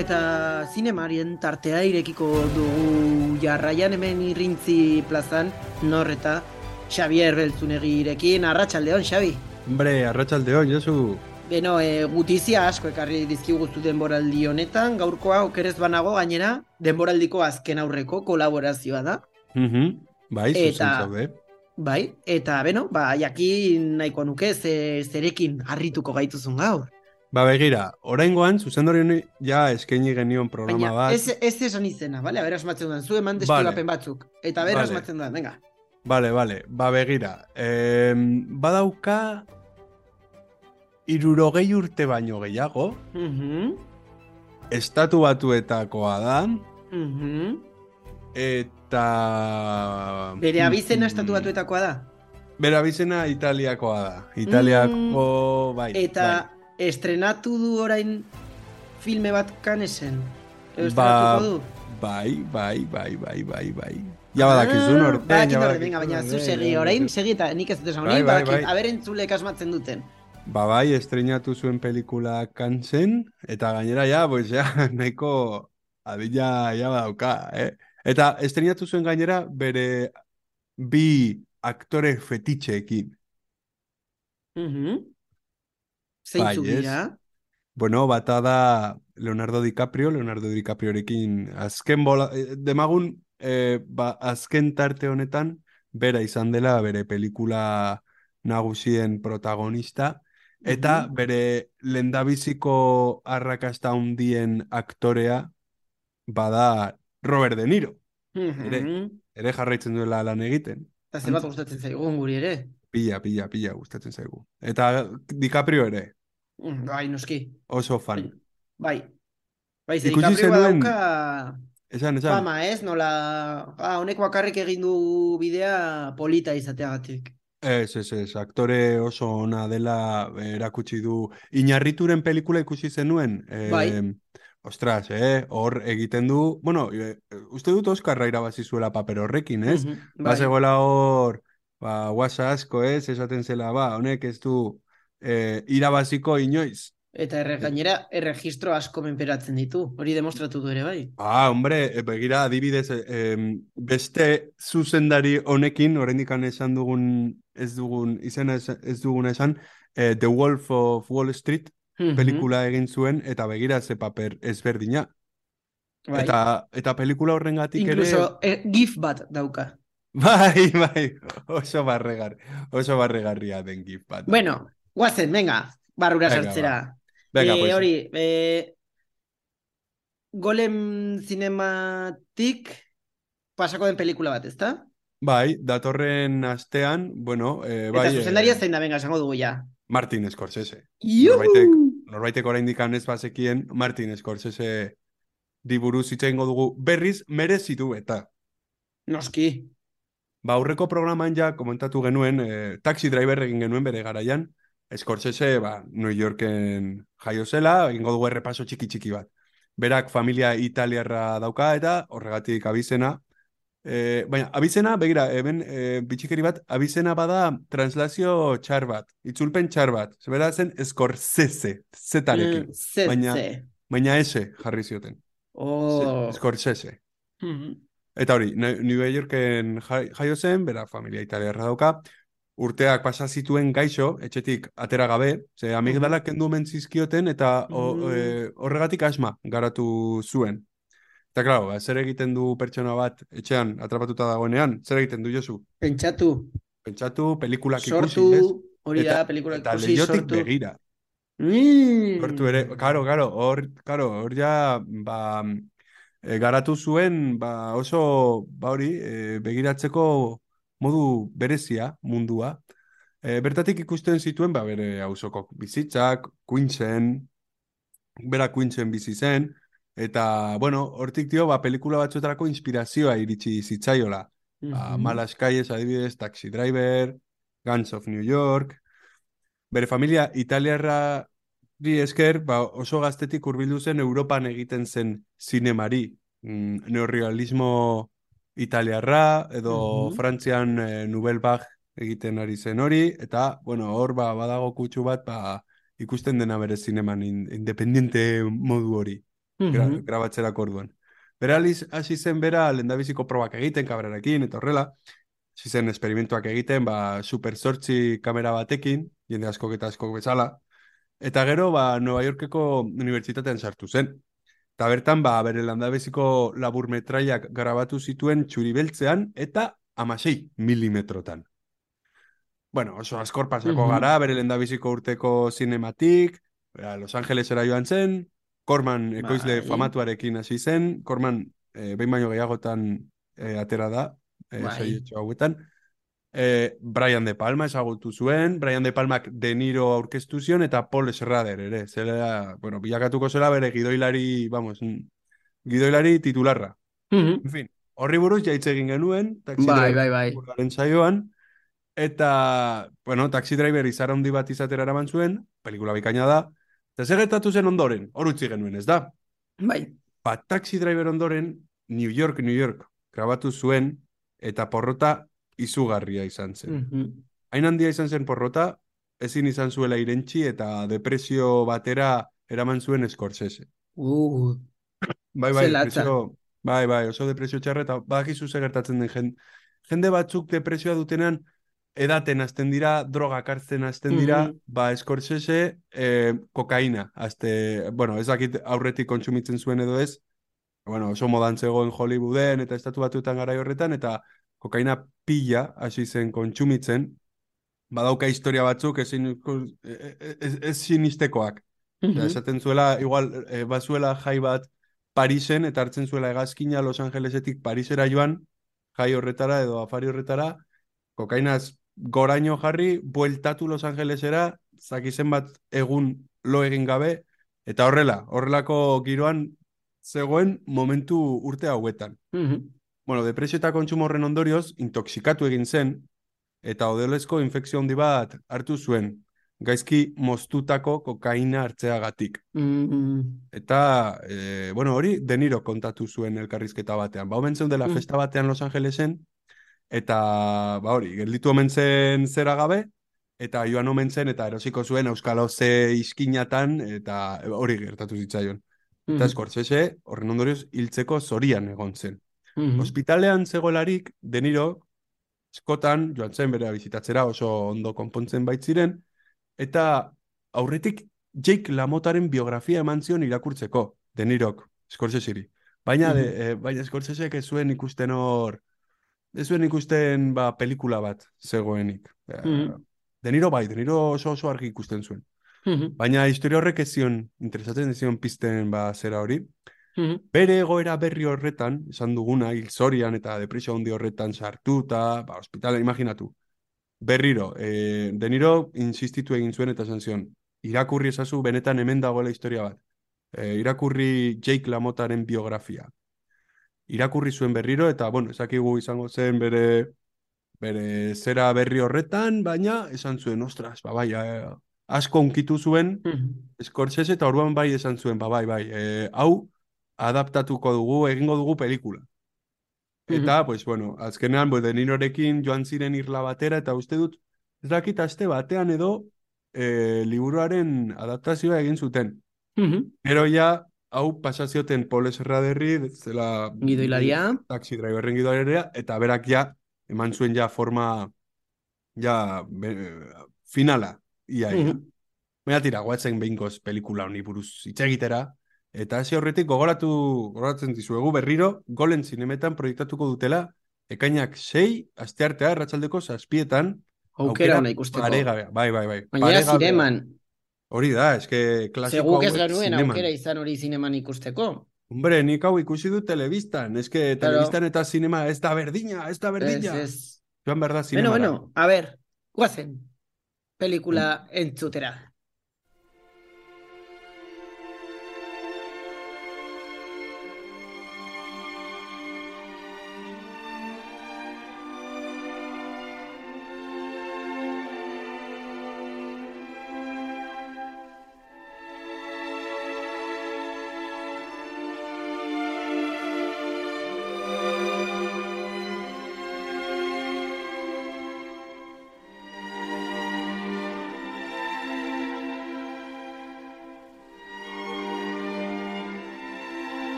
eta zinemarien tartea irekiko dugu jarraian hemen Irrintzi plazan, Norreta, Xabier Beltzunegirekin. Arratsaldeon, Xabi. Hombre, arratsaldeon, Josu. Beno, gutizia asko ekarri dizkiguzu denboraldi honetan, gaurkoa okerez banago gainera, denboraldiko azken aurreko kolaborazioa da. Bai, zuzen zaude. Bai, eta beno, jakin nahiko nuke zerekin harrituko gaituzun gaur. Begira, oraingoan zuzendari honi ja eskaini genion programa bat. Baina, ez esan izena, bale? Aber asmatzen duen, zu eman deskribapen batzuk. Eta aber asmatzen duen, venga. Bale, begira. Badauka 60 urte baino gehiago. Estatu Batuetakoa da. Eta... Bere abizena Estatu Batuetakoa da? Bere abizena Italiakoa da. Italiako, bai. Eta estrenatu du orain filme bat Canesen? Estrenatuko du? Bai. Ja badakizu norten, baina zu segi orain, segi eta nik ez dut esan hori, badakit, aberentzulek asmatzen duten. Bai, estrenatu zuen pelikula Cansen, eta gainera nahiko adila badauka, Eta estrenatu zuen gainera bere bi aktore fetitxeekin. Zeintzu dira? Bueno, bata da Leonardo DiCapriorekin azken demagun, azken tarte honetan, bera izan dela bere pelikula nagusien protagonista, eta bere lehendabiziko arrakasta handien aktorea bada Robert De Niro. Ere jarraitzen duela lan egiten. Eta ze bat gustatzen zaigun guri ere? Pilla gustatzen zaigu. Eta DiCaprio ere. Bai, noski. Oso fan. Bai, ze DiCaprio badauka... Esan. Fama, ez? Nola... honek bakarrik egin du bidea polita izateagatik. Ez, aktore oso ona dela erakutsi du. Iñarrituren pelikula ikusi zenuen. Bai. Ostras, hor egiten du... Bueno, uste dut Oskarra irabazi zuela paper horrekin, ez? Bazegoela hor... guasa asko, ez? Esaten zela, honek ez du irabaziko inoiz. Eta gainera, erregistro asko menperatzen ditu. Hori demostratu du ere, bai. Hombre, begira, adibidez, beste zuzendari honekin, oraindik esan dugun, ez dugun esan, The Wolf of Wall Street pelikula egin zuen, eta begira ze paper ezberdina. Bai. Eta pelikula horrengatik ere... Incluso gif bat dauka. Bai, oso barregarria den gif bat. Bueno, guazen, venga, barrura sartzera. Venga, pues. Hori, Golem Cinematik pasako den pelikula bat, ezta? Bai, datorren astean, bueno... Eta zuzendaria zein da, venga, esango dugu ja. Martin Scorsese. Juhu! Norbaitek oraindik ez bazekien, Martin Scorsese diburuz hitz egingo dugu berriz merezitu eta. Noski. Aurreko programan ja komentatu genuen, taxi driver egin genuen bere garaian, Scorsese, New Yorken jaio zela, egingo dugu errepaso txiki bat. Berak familia italiarra dauka eta horregatik abizena. Baina, abizena, begira, bitxikeri bat, abizena bada translazio txar bat, itzulpen txar bat. Zebera zen Scorsese, zetarekin. Baina ese jarri zioten. Scorsese. Eta hori, New Yorken jaio zen, bera familia italiarra dauka, urteak pasa zituen gaixo, etxetik atera gabe, ze amigdalak kendu mentzizkioten eta horregatik asma garatu zuen. Eta, klaro, zer egiten du pertsona bat etxean atrapatuta dagoenean? Zer egiten du, Josu? Pentsatu, pelikulak ikusi, ez? sortu, hori da, pelikulak eta ikusi, leihotik sortu. begira. Sortu ere, hor ja, garatu zuen, oso, hori, begiratzeko modu berezia mundua. Bertatik ikusten zituen, bere auzoko bizitzak, Queensen, bera Queensen bizi zen, eta, bueno, hortik dio, pelikula batzuetarako inspirazioa iritsi zitzaiola. Malas Calles, adibidez, Taxi Driver, Guns of New York. Bere familia italiarra esker, oso gaztetik hurbildu zen Europan egiten zen zinemari. Neorealismo italiarra, edo Frantzian Nouvelle Vague egiten ari zen hori, eta, bueno, hor badago kutsu bat, ikusten dena bere zineman independiente modu hori. Mhm. grabatzerako orduan. Bera hasi zen bera lehendabiziko probak egiten, kabrarekin, eta horrela, hasi zen esperimentuak egiten, Super 8 kamera batekin, jende askok eta askok bezala, eta gero, Nueva Yorkeko unibertsitatean sartu zen. Eta bertan, bere landabeziko laburmetraiak grabatu zituen txuri beltzean eta 16 milimetrotan. Bueno, oso askor pasako gara, Mhm. bere lehendabiziko urteko zinematik, Los Angelesera joan zen, Corman ekoizle Bai, famatuarekin hasi zen, Corman behin baino gehiagotan atera da, bai. saietxo hauetan. Brian De Palma ezagutu zuen, Brian De Palmak De Niro aurkeztu zion, eta Paul Schrader ere, zela, bueno, bilakatuko zela bere gidoilari, vamos, gidoilari titularra. Mhm. En fin, horri buruz jaitze egin genuen, Taxi Bai, Driver bai, bai. pelikularen saioan, eta, bueno, Taxi Driver izar handi bat izatera eraman zuen, pelikula bikaina da, eta zer gertatu zen ondoren, hor utzi genuen, ez da? Bai. Taxi Driver ondoren, New York, New York, grabatu zuen, eta porrota izugarria izan zen. Mhm. Hain handia izan zen porrota, ezin izan zuela irentsi eta depresio batera eraman zuen Scorsese. Uh, Bai, ze latza. oso depresio txarra, eta badakizu ze gertatzen den jende batzuk depresioa dutenean edaten hasten dira, drogak hartzen hasten dira, Mhm. Scorsese kokaina, bueno, ez dakit aurretik kontsumitzen zuen edo ez, bueno, oso modan zegoen Hollywooden eta estatu batuetan garai horretan, eta kokaina pila hasi zen kontsumitzen, badauka historia batzuk ez sinistekoak. Osea, Mhm. esaten zuela, igual, bazuela jai bat Parisen, eta hartzen zuela hegazkina Los Angelesetik Parisera joan, jai horretara edo afari horretara, kokainaz goraino jarri, bueltatu Los Angelesera, zakizen bat egun lo egin gabe, eta horrelako giroan zegoen momentu urte hauetan. Mhm. Bueno, depresio eta kontsumo horren ondorioz, intoxikatu egin zen, eta odolezko infekzio handi bat hartu zuen, gaizki moztutako kokaina hartzeagatik. Mhm. Eta, bueno, hori De Niro kontatu zuen elkarrizketa batean. Omen zeuden dela Mhm. festa batean Los Angelesen, eta, hori, gelditu omen zen zera gabe, eta joan omen zen, eta erosiko zuen Euskal Oze iskinatan, eta hori gertatu zitzaion. Eta Mhm. Scorsese, horren ondorioz, hiltzeko zorian egon zen. Mhm. Ospitalean zegoelarik, De Niro, eskotan, joan zen bere bizitatzera oso ondo konpontzen baitziren, eta aurretik Jake LaMottaren biografia eman zion irakurtzeko, De Nirok, Scorseseri. Mhm. Baina Scorsesek ez zuen ikusten pelikula bat zegoenik. Mhm. De Niro bai, De Niro oso argi ikusten zuen. Mhm. Baina historia horrek ez zion, interesatzen ez zion pizten zera hori. Mhm. Bere egoera berri horretan, esan duguna, hil zorian eta depresio handi horretan sartuta, ospitalean imaginatu. Berriro, De Niro insistitu egin zuen eta esan zion, irakurri ezazu benetan hemen dagoela historia bat. Irakurri Jake LaMottaren biografia. Irakurri zuen berriro eta, bueno, ezakigu izango zen bere zera berri horretan, baina esan zuen, ostras, bai, asko unkitu zuen Mhm. Scorsese eta orduan bai esan zuen, bai, hau adaptatuko dugu, egingo dugu pelikula. Eta, Mhm. pues, bueno, azkenean, De Nirorekin joan ziren irla batera, eta uste dut, ez dakit aste batean edo liburuaren adaptazioa egin zuten. Mhm. Gero ja, hau pasazioten Paul Serraderri, zela Gidoilaria. taxi driverren gidoilaria, eta berak ja, eman zuen ja forma, ja, finala, ia. Mhm. Baina tira, guatzen behinkoz pelikula honi buruz hitz egitera, eta hasi horretik gogoratzen dizuegu berriro, Golen zinemetan proiektatuko dutela, ekainak 6, asteartea, arratsaldeko 7, Aukera aukera ona ikusteko. paregabea, bai, Gainera paregabea. zineman. Hori da, eske Ze klasiko guk ez hauek genuen aukera zineman. izan hori zineman ikusteko. Hombre, nik hau ikusi dut telebistan, eske Claro, telebistan eta zinema ez da berdina, ez da ez, berdina. ez. Joan behar da Bueno, zinemara. bueno, a ver, guazen. Pelikula entzutera.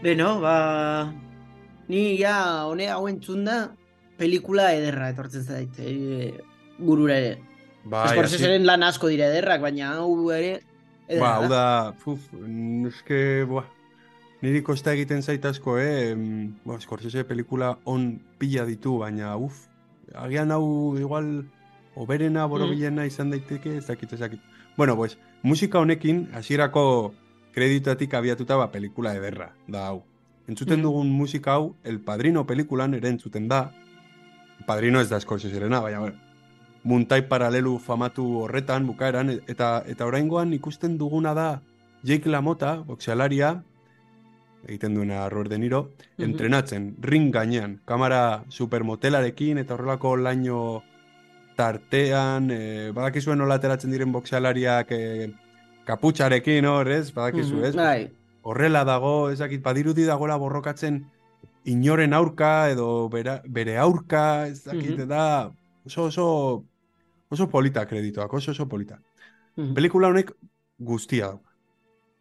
Beno, ni ja hone hau entzun da, pelikula ederra etortzen zait, burura ere. Bai, hasi, Scorseseren lan asko dira ederrak, baina hau ere ederra hau da. da, eske, niri kosta egiten zait asko, Scorsese pelikula on pila ditu, baina, agian hau igual, oberena, Mm, borobilena izan daiteke, ez dakit, ez dakit. Bueno, pues, musika honekin, hasierako kreditatik abiatuta, pelikula ederra, da hau. Entzuten mm, dugun musika hau, El Padrino pelikulan ere entzuten da, El Padrino ez da Scorseserena, baina, bueno, muntai paralelu famatu horretan, bukaeran, eta oraingoan ikusten duguna da Jake LaMotta, boxealaria, egiten duena Robert De Niro, mhm, entrenatzen, ring gainean, kamera supermotelarekin, eta horrelako laino tartean, badakizuen nola ateratzen diren boxealariak kaputxarekin hor, ez? Badakizu, ez? Pues, bai. horrela dago, ezakit, badirudi dagoela borrokatzen inoren aurka edo bere aurka, ezakit, Mhm, da oso polita kreditoak, oso polita. mhm, Pelikula honek guztia dauka.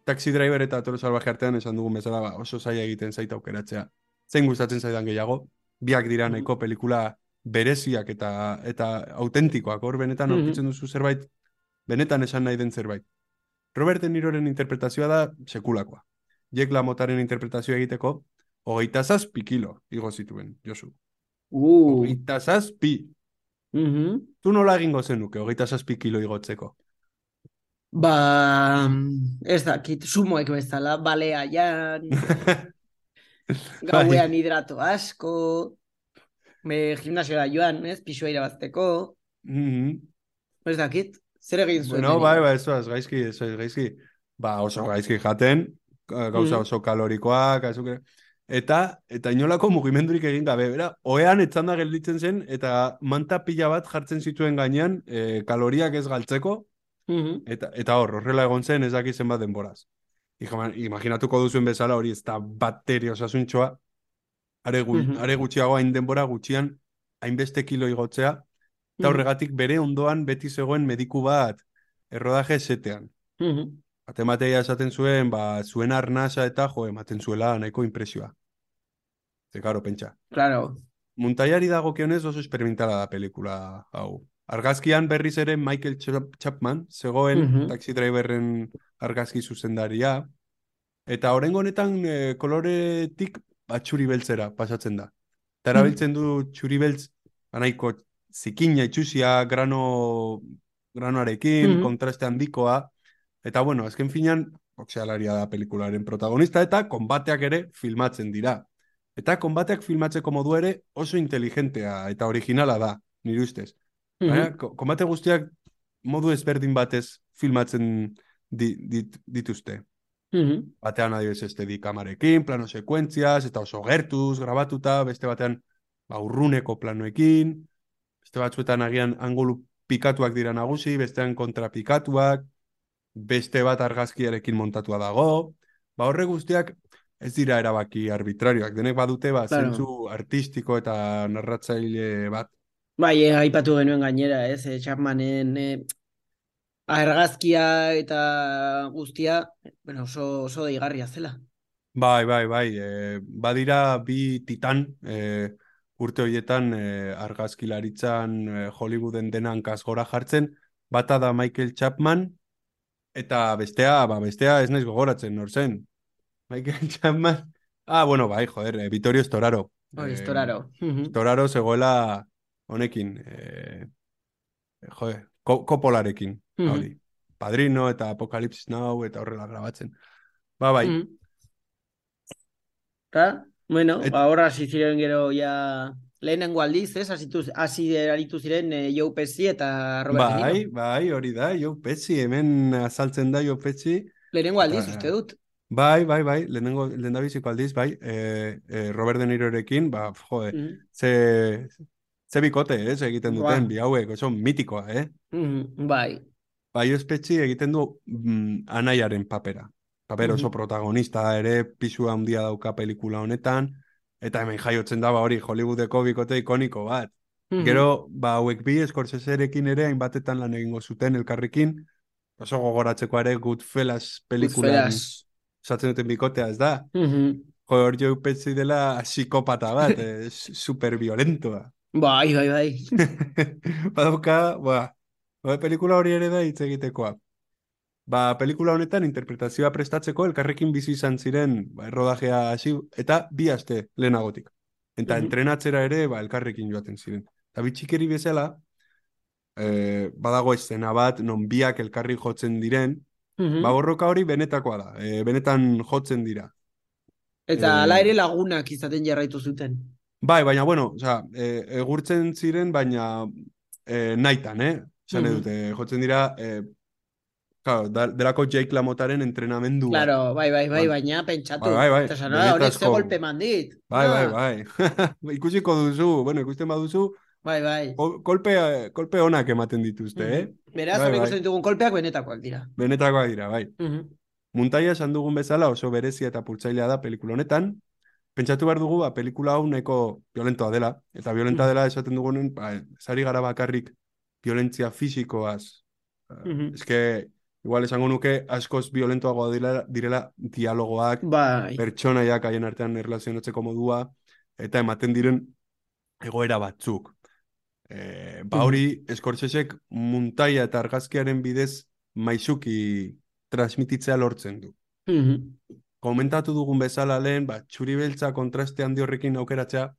Taxi Driver eta Toro Salvaje artean esan dugun bezala oso zaila egiten zait aukeratzea. Zein gustatzen zaidan gehiago, biak dira mhm, nahiko pelikula bereziak eta autentikoak, hor benetan mhm. aurkitzen duzu zerbait, benetan esan nahi den zerbait. Robert De Niroren interpretazioa da sekulakoa. Jack LaMottaren interpretazioa egiteko, 27 kilo igo zituen, Josu. Uh, 27. mhm. Zu nola egingo zenuke, 27 kilo igotzeko? Ez dakit, sumoek bezala, balea jan, Bai. gauean hidrato asko, gimnasiora joan, ez, pisua irabazteko, Mhm. ez dakit, zer egin zuen Bueno, bai, deniro. ez gaizki. Oso gaizki jaten, gauza Mhm, oso kalorikoak, eta inolako mugimendurik egin gabe, bera, ohean etzanda gelditzen zen, eta manta pila bat jartzen zituen gainean, kaloriak ez galtzeko, mhm, eta horrela egon zen ez dakit zenbat denboraz. Imaginatuko duzuen bezala hori ez da bateria osasuntxoa, mhm, are gutxiago hain denbora gutxian, hainbeste kilo igotzea, eta mhm, horregatik bere ondoan beti zegoen mediku bat errodaje setean. mhm. Matemateia esaten zuen, zuen arnasa eta jo, ematen zuela nahiko impresioa. Ze, karo, pentsa. Claro. Muntaiari dagokionez oso experimentala da pelikula hau. Argazkian berriz ere Michael Chapman, zegoen Mhm, Taxi Driverren argazki zuzendaria, eta oraingo honetan koloretik txuri beltzera pasatzen da. Eta mhm, erabiltzen du txuri beltz, nahiko zikina itxusia, granoarekin, mhm, kontraste handikoa, eta bueno, azken finean, boxealaria da pelikularen protagonista, eta konbateak ere filmatzen dira. Eta konbateak filmatzeko modu ere oso inteligentea eta originala da, nire ustez. Baina, mhm, konbate guztiak modu ezberdin batez filmatzen dituzte. mhm. Batean adibidez kamarekin, plano sekuentziaz, eta oso gertuz, grabatuta, beste batean urruneko planoekin, beste batzuetan agian angulu pikatuak dira nagusi, bestean kontrapikatuak, beste bat argazkiarekin montatua dago, horre guztiak ez dira erabaki arbitrarioak, denek badute Claro. zentzu artistiko eta narratzaile bat. Bai, aipatu genuen gainera, ez, Chapmanen argazkia eta guztia, bueno, oso deigarria zela. Bai, badira bi titan urte horietan argazkilaritzan Hollywooden denan kasgora jartzen, bata da Michael Chapman, eta bestea ez naiz gogoratzen, nor zen? Michael Chapman, bueno, bai, joder, Vittorio Storaro. Hori, estoraro. Mhm, Storaro zegoela honekin, joder, Coppolarekin, hori. mhm, Padrino eta Apocalypse Now eta horrela grabatzen. Bai. mhm. Ta, bueno, Et, hor hasi ziren gero ja lehenengo aldiz, ez? Hasi aritu ziren Joe Pesci eta Robert De Niro. hori da, Joe Pesci, hemen azaltzen da Joe Pesci, Lehenengo eta aldiz, uste dut. lehendabiziko aldiz, Robert De Nirorekin, jode, Mhm, ze bikote, egiten duten, buah, bi hauek, oso mitikoa, bai. Bai, Pesci egiten du anaiaren papera. Paper oso Mhm, protagonista da ere, pisu handia dauka pelikula honetan, eta hemen jaiotzen da, hori, Hollywoodeko bikote ikoniko bat. mhm. Gero, hauek bi Scorseserekin ere, hainbatetan lan egingo zuten elkarrekin, oso gogoratzeko ere Goodfellas pelikulan Goodfellas. osatzen duten bikotea, ez da? Mhm. hor jo upetzi dela psikopata bat, super violentoa. Bai, bai, bai. Badauka, pelikula hori ere da hitz egitekoa. Pelikula honetan interpretazioa prestatzeko elkarrekin bizi izan ziren errodajea hasi eta 2 aste lehenagotik. Eta Mhm, entrenatzera ere elkarrekin joaten ziren. Eta bitxikeri bezala, badago eszena bat, non biak elkarri jotzen diren, mhm. borroka hori benetakoa da, benetan jotzen dira. Eta hala ere lagunak izaten jarraitu zuten. Bai, baina, bueno, osea, egurtzen ziren, baina naitan, Esan Mhm. dute, jotzen dira, claro, delako Jake Lamotaren entrenamendu bat. Claro, bai, bai, bai, Ba- baina pentsatu. bai, Eta esan, honek ze benetazko, golpe mandit. bai. Ikusiko duzu, bueno, ikusten baduzu, Bai, bai. kolpe onak ematen dituzte, Mhm. Beraz, Bai, hor bai, ikusten ditugun kolpeak benetakoak dira. benetakoak dira, bai. Mhm, Muntaia esan dugun bezala oso berezia eta pultzailea da pelikula honetan, pentsatu behar dugu, pelikula hau nahiko violentoa dela, eta violenta mhm, dela esaten dugunen, zari gara bakarrik violentzia fisikoaz. mhm. Eske, igual esango nuke askoz violentoagoa direla dialogoak, Bai. pertsonaiak haien artean erlazionatzeko modua, eta ematen diren egoera batzuk. Mhm, Hori, Scorsesek muntaia eta argazkiaren bidez maisuki transmititzea lortzen du. mhm, Komentatu dugun bezala lehen, txuri beltza kontraste handi horrekin aukeratzea,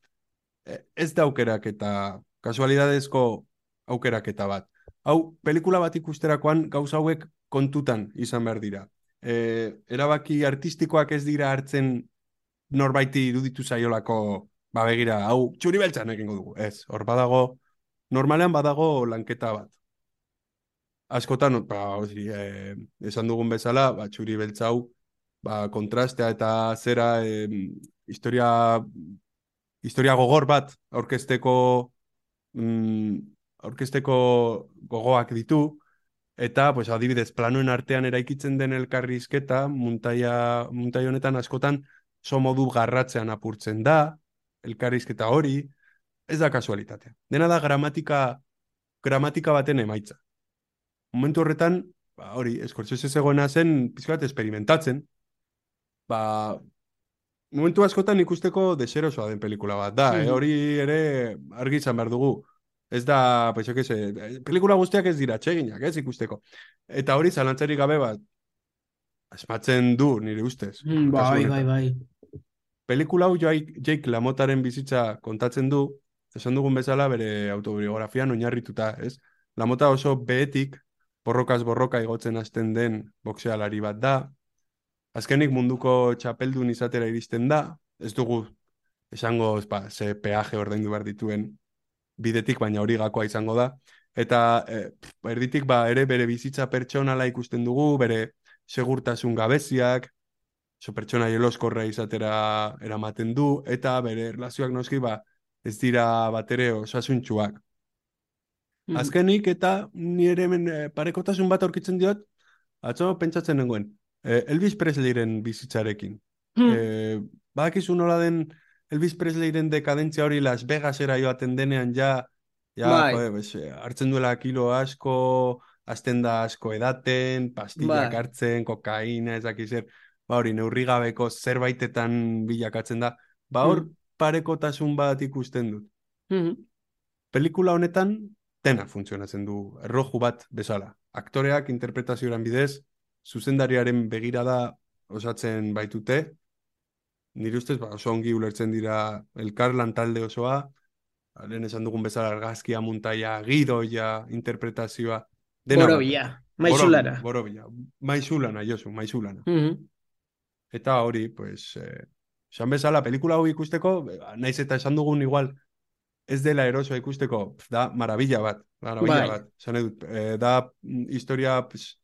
ez da aukeraketa, kasualidadezko aukeraketa bat. Hau, pelikula bat ikusterakoan gauza hauek kontutan izan behar dira. Erabaki artistikoak ez dira hartzen norbaiti iruditu zaiolako, begira, hau, txuri beltzan egingo dugu. Ez, hor badago, normalean badago lanketa bat. Askotan, esan dugun bezala, txuri beltza hau, kontrastea eta zera historia gogor bat mm, aurkezteko gogoak ditu, eta, pues, adibidez, planoen artean eraikitzen den elkarrizketa, muntai honetan askotan so modu garratzean apurtzen da, elkarrizketa hori, ez da kasualitatea. Dena da gramatika baten emaitza. Momentu horretan, hori, Scorsese zegoena zen, pizka bat experimentatzen, ba, momentu askotan ikusteko deserosoa den pelikula bat da, mhm. hori ere argi izan behar dugu. Ez da, pues, pelikula guztiak ez dira txeginak, ez ikusteko. Eta hori zalantzarik gabe bat, asmatzen du nire ustez, kasu Bai, bai, honetan. bai. Pelikula hau Jake Lamotaren bizitza kontatzen du, esan dugun bezala bere autobiografian oinarrituta, ez? Lamota oso behetik, borrokaz borroka igotzen hasten den boxealari bat da, azkenik munduko txapeldun izatera iristen da, ez dugu esango ze peaje ordaindu behar dituen bidetik, baina hori gakoa izango da. Eta erditik ere bere bizitza pertsonala ikusten dugu, bere segurtasun gabeziak, oso pertsona jeloskorra izatera eramaten du, eta bere erlazioak noski ez dira batere osasuntsuak. Mhm, Azkenik eta ni ere hemen parekotasun bat aurkitzen diot, atzo pentsatzen nengoen, Elvis Presleyren bizitzarekin. mhm. E, Badakizu nola den Elvis Presleyren dekadentzia hori Las Vegasera joaten denean Bai, hartzen duela kilo asko, azten da asko edaten, pastillak bai. hartzen, kokaina, ez dakiz zer, hori neurri gabeko zerbaitetan bilakatzen da. Hor Mhm, parekotasun bat ikusten dut. mhm. Pelikula honetan dena funtzionatzen du, erroju bat bezala. Aktoreak interpretazioaren bidez, zuzendariaren begirada osatzen baitute, nire ustez oso ongi ulertzen dira elkarlan talde osoa, lehen esan dugun bezala argazkia, muntaia, gidoia, interpretazioa, dena Borobila, batera. maizulana. Borobila, maizulana, Josu, maizulana. Mhm. Eta hori, pues, esan bezala, pelikula hau ikusteko, naiz eta esan dugun igual, ez dela erosoa ikusteko, da marabila Bai, bat. Esan edut, da historia, pues,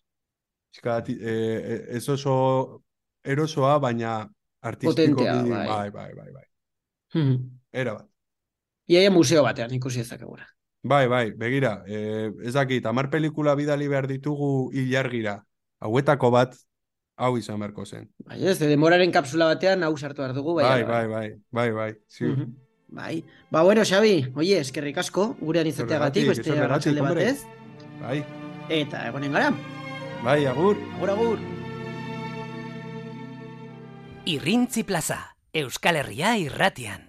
ez oso erosoa, baina potentea, artistikoki, bai. bai. Mhm. Era bat. Iaia museo batean ikusi ezakegura. Bai, begira, ez dakit, 10 pelikula bidali behar ditugu ilargira, hauetako bat, hau izan beharko zen. Bai, ez, denboraren kapsula batean hau sartu behar dugu, bai, ala bai. Ziur. Mhm. Bai. Ba, bueno, Xabi, oie, eskerrik asko, gurean izateagatik, beste Zergatik, arratsalde hombre. batez. Bai, Eta egonen gara. agur. Agur, agur. Irrintzi Plaza, Euskal Herria irratian.